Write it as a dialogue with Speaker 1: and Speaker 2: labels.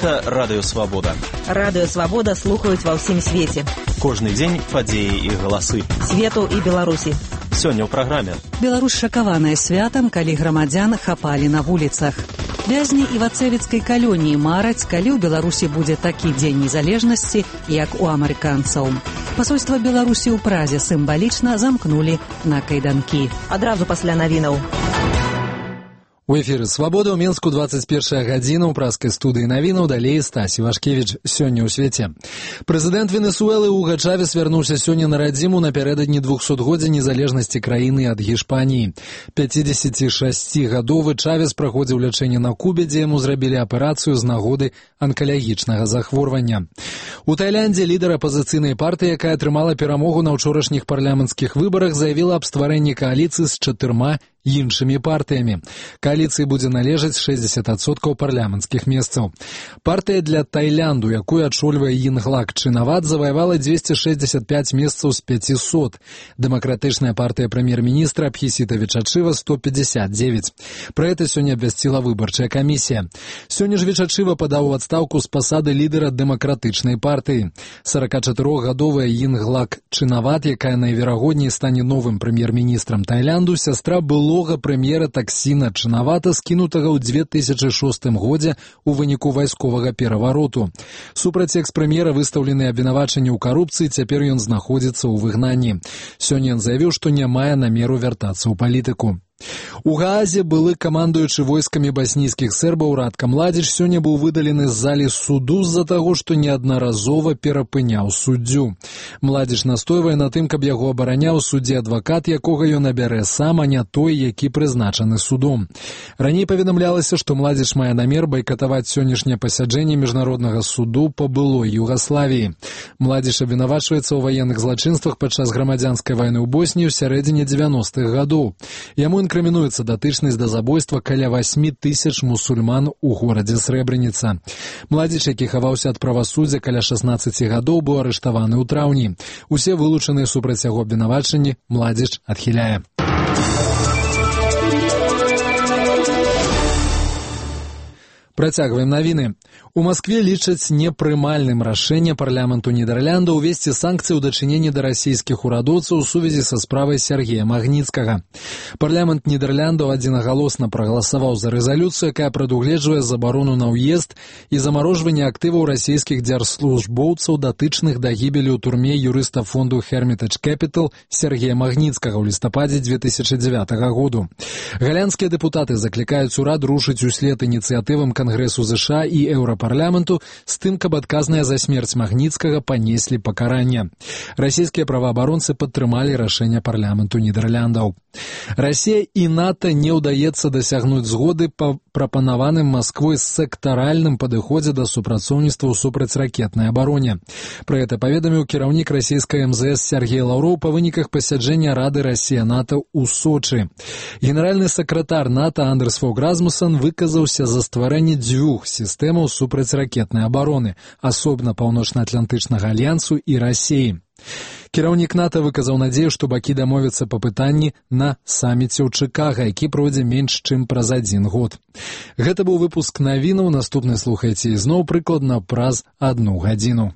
Speaker 1: Гэта Радыё Свабода.
Speaker 2: Радыё Свабода слухаюць ва ўсім свеце.
Speaker 1: Кожны дзень падзеі і галасы.
Speaker 2: Свету і Беларусі.
Speaker 1: Сёння ў праграме.
Speaker 3: Беларусь шакаваная святам, калі грамадзян хапалі на вуліцах. Вязні івацэвіцкай калоніі мараць, калі ў Беларусі будзе такі дзень незалежнасці, як у амерыканцаў. Пасольства Беларусі ў Празе сімвалічна замкнулі на кайданкі.
Speaker 2: Адразу пасля навінаў.
Speaker 4: У эфіры «Свабода» ў Менску 21 гадзіна ў празкай студыі навінаў, далей Стась Івашкевіч. Сёння ў свеце. Прэзідэнт Венесуэлы Уга Чавес вярнуўся сёння на радзіму напярэдадні 200-годдзя незалежнасці краіны ад Гішпаніі. 56-гадовы Чавес праходзіў лячэнне на Кубе, дзе яму зрабілі аперацыю з нагоды анкалагічнага захворвання. У Тайландзе лідар апазіцыйнай партыі, якая атрымала перамогу на ўчорашніх парламенцкіх выбарах, заявіла аб стварэнні кааліцыі з 4 іншымі партыямі. Кааліцыі будзе належаць 60% парламенцкіх месцаў. Партыя для Тайлянду, якую ачольвае Йинглак Чинават, заваявала 265 месцаў з 500. Дэмакратычная партыя прэм'ер-міністра Абхісіта Вічачыва 159. Пра гэта сёння абвясціла выбарчая камісія. Сёння ж Вічачыва падаў у адстаўку з пасады лідара дэмакратычнай партыі. 44-гадовая Йинглак Чинават, якая найверагодней стане новым прэм'ер-міністрам Тайлянду, сястра былога прэм'ера Таксіна Чинавата, скінутага ў 2006 годзе ў выніку вайсковага перавароту. Супраць экс-прэм'ера выстаўлены абвінавачанні ў карупцыі, цяпер ён знаходзіцца ў выгнанні. Сёння ён заявіў, што не мае намеру вяртацца ў палітыку. У Гаазе былы камандуючы войскамі баснійскіх сербаў Радка Младзіч сёння быў выдалены з залі суду з-за таго, што неаднаразова перапыняў суддзю. Младзіч настойвае на тым, каб яго абараняў суддзі адвакат, якога ён абярэ сам, а не той, які прызначаны судом. Раней паведамлялася, што Младзіч мае намер байкатаваць сённяшняе пасяджэнне міжнароднага суду па былой Югаславіі. Младзіч абвінавачваецца ў ваенных злачынствах падчас грамадзянскай вайны ў Босніі ў сярэдзіне 90-х гадоў. Яму інкрымінуецца датычнасць да забойства каля 8 000 мусульман у горадзе Срэбраніца. Младзіч, які хаваўся ад правасуддзя каля 16 гадоў, быў арыштаваны ў траўні. Усе вылучаныя супраць яго абвінавачанні Младзіч адхіляе. Працягваем навіны. У Маскве лічаць непрымальным рашэнне парламенту Нідерланда ўвесці санкцыі ў дачыненні да расійскіх урадоўцаў у сувязі са справай Сергея Магніцкага. Парламент Нідерландаў адзінагалосна прагаласаваў за рэзалюцыю, якая прадугледжвае забарону на ўезд і замарожванне актываў расійскіх дзяржслужбоўцаў, датычных да гібелі ў турме юрыста фонду Hermitage Capital Сергея Магніцкага ў лістападзе 2009 году. Галандскія дэпутаты заклікаюць урад рушыць услед ініцыятывам Кангрэсу ЗША і Еўрапарламенту з тым, каб адказныя за смерць Магніцкага панеслі пакаранне. Расійскія праваабаронцы падтрымалі рашэнне парламенту Нідерландаў. Расія і НАТО не ўдаецца дасягнуць згоды па прапанаваным Масквой сектаральным падыходзе да супрацоўніцтва ў супрацьракетнай абароне. Пра гэта паведаміў кіраўнік расійскай МЗС Сергей Лаўроў па выніках пасяджэння Рады Расія-НАТО ў Сочы. Генеральны сакратар НАТО Андерс Фог Расмуссен выказаўся за стварэнне 2 сістэмаў супрацьракетнай абароны, асобна Паўночна-Атлантычнага альянсу і Расіі. Кіраўнік НАТО выказаў надзею, што бакі дамовяцца па пытанні на саміце ў Чыкага, які пройдзе менш чым праз 1 год. Гэта быў выпуск навінаў, наступны слухайце ізноў прыкладна праз 1 гадзіну.